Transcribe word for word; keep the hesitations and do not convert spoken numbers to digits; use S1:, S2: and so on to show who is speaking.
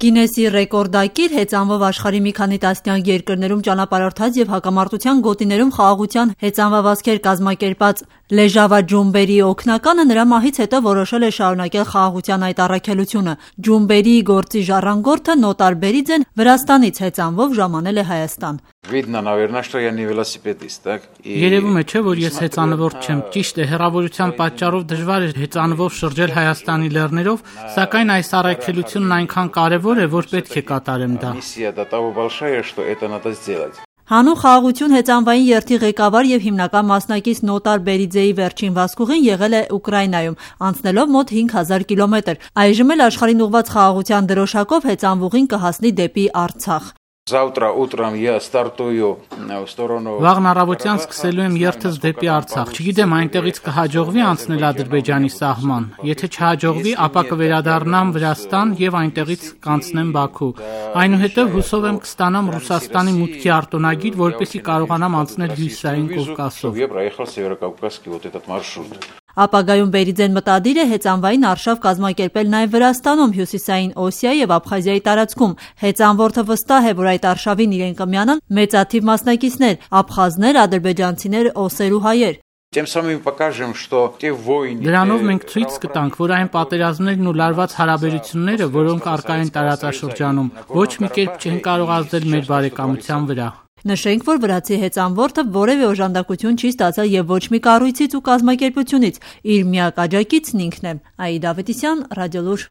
S1: Գինեսի ռեկորդակիր հեծանվով աշխարհի մի քանի տասնյակ երկրներում ճանապարհորդած եւ հակամարտության գոտիներում խաղաղության հեծանվվածքեր կազմակերպած Լեժավա Ջումբերի օգնականը նրա մահից հետո որոշել է շարունակել խաղաղության այդ առաքելությունը։ Ջումբերի գործի ժառանգորդը Նոտար Բերիձեն Վրաստանից հեծանվով ժամանել է Հայաստան։
S2: Երևում է, չէ, որ ես հեծանվորդ չեմ, ճիշտ է, հեռավորության պատճառով դժվար է հեծանվով շրջել Հայաստանի լեռներով, սակայն այս առաքելությունն այնքան կարևոր է, որ պետք է կատարեմ դա։
S1: Հանուն խաղաղություն հեծանվային երթի ղեկավար եւ հիմնական մասնակից Նոտար Բերիձեի վերջին վազքուղին եղել է Ուկրաինայում, անցնելով մոտ հինգ հազար կիլոմետր։ Այժմ էլ աշխարհին ուղղված խաղաղության դրոշակով հեծանվուղին կհասնի դեպի Արցախ։
S2: Վաղն առավոտյան սկսելու եմ երթս դեպի Արցախ։ Չգիտեմ այնտեղից կհաջողվի անցնել Ադրբեջանի սահման։ Եթե չհաջողվի, ապա կվերադառնամ Վրաստան եւ այնտեղից կանցնեմ Բաքու։ Այնուհետեւ հուսով եմ կստանամ Ռուսաստանի մուտքի արտոնագիր, որպեսզի կարողանամ անցնել Հյուսիսային Կովկասով։
S1: Ապագայում Բերիձեն մտադիր է հեծանվային արշավ կազմակերպել նաև Վրաստանում, Հյուսիսային Օսիայի եւ Աբխազիայի տարածքում։ Հեծանվորդը վստահ է, որ այդ արշավին իրեն կմիանան մեծաթիվ մասնակիցներ՝ աբխազներ, ադրբեջանցիներ, օսեր ու հայեր։
S2: Դրանով մենք ցույց կտանք, որ այն պատերազմներն ու լարված հարաբերությունները, որոնք առկա են տարածաշրջանում, ոչ մի կերպ չեն կարող ազդել մեր բարեկամության վրա։
S1: Նշենք, որ վրացի հեծանվորդը որևէ օժանդակություն չի ստացել եւ ոչ մի կառույցից ու կազմակերպությունից։ Իր միակ աջակիցն ինքն է։ Աիդա Ավետիսյան, Ռադիոլուր։